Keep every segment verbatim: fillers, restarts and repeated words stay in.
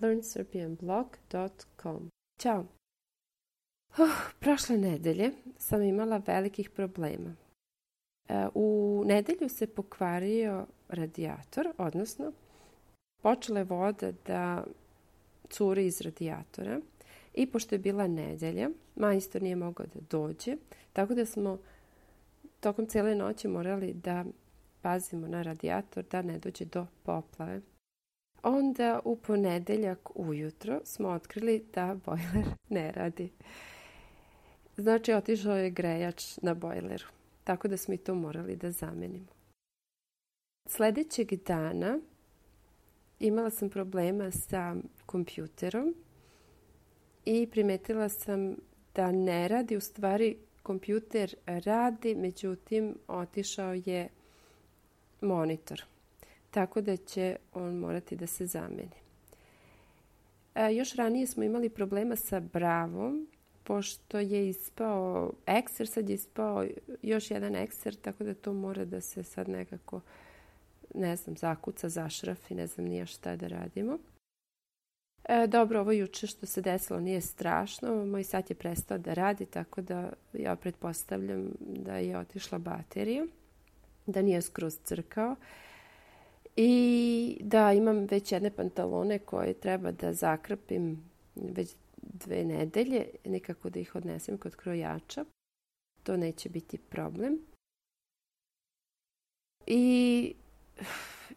learn serbian blog dot com. Ćao! Uh, prošle nedelje sam imala velikih problema. Uh, u nedelju se pokvario radijator, odnosno počela je voda da curi iz radijatora i pošto je bila nedelja, majstor nije mogao da dođe, tako da smo tokom cijele noći morali da pazimo na radijator da ne dođe do poplave. Onda u ponedeljak ujutro smo otkrili da bojler ne radi. Znači, otišao je grejač na bojleru, tako da smo i to morali da zamenimo. Sljedećeg dana imala sam problema sa kompjuterom i primetila sam da ne radi. U stvari, kompjuter radi, međutim, otišao je monitor. Tako da će on morati da se zameni. E, još ranije smo imali problema sa Bravom, pošto je ispao ekser, sad je ispao još jedan ekser, tako da to mora da se sad nekako, ne znam, zakuca, zašrafi, ne znam nije šta da radimo. E, dobro, ovo juče što se desilo nije strašno, moj sat je prestao da radi, tako da ja pretpostavljam da je otišla baterija, da nije skroz crkao. I da, imam već jedne pantalone koje treba da zakrpim već dve nedelje, nikako da ih odnesem kod krojača. To neće biti problem. I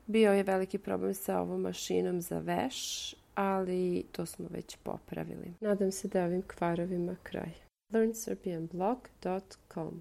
bio je veliki problem sa ovom mašinom za veš, ali to smo već popravili. Nadam se da ovim kvarovima kraj. learn serbian blog dot com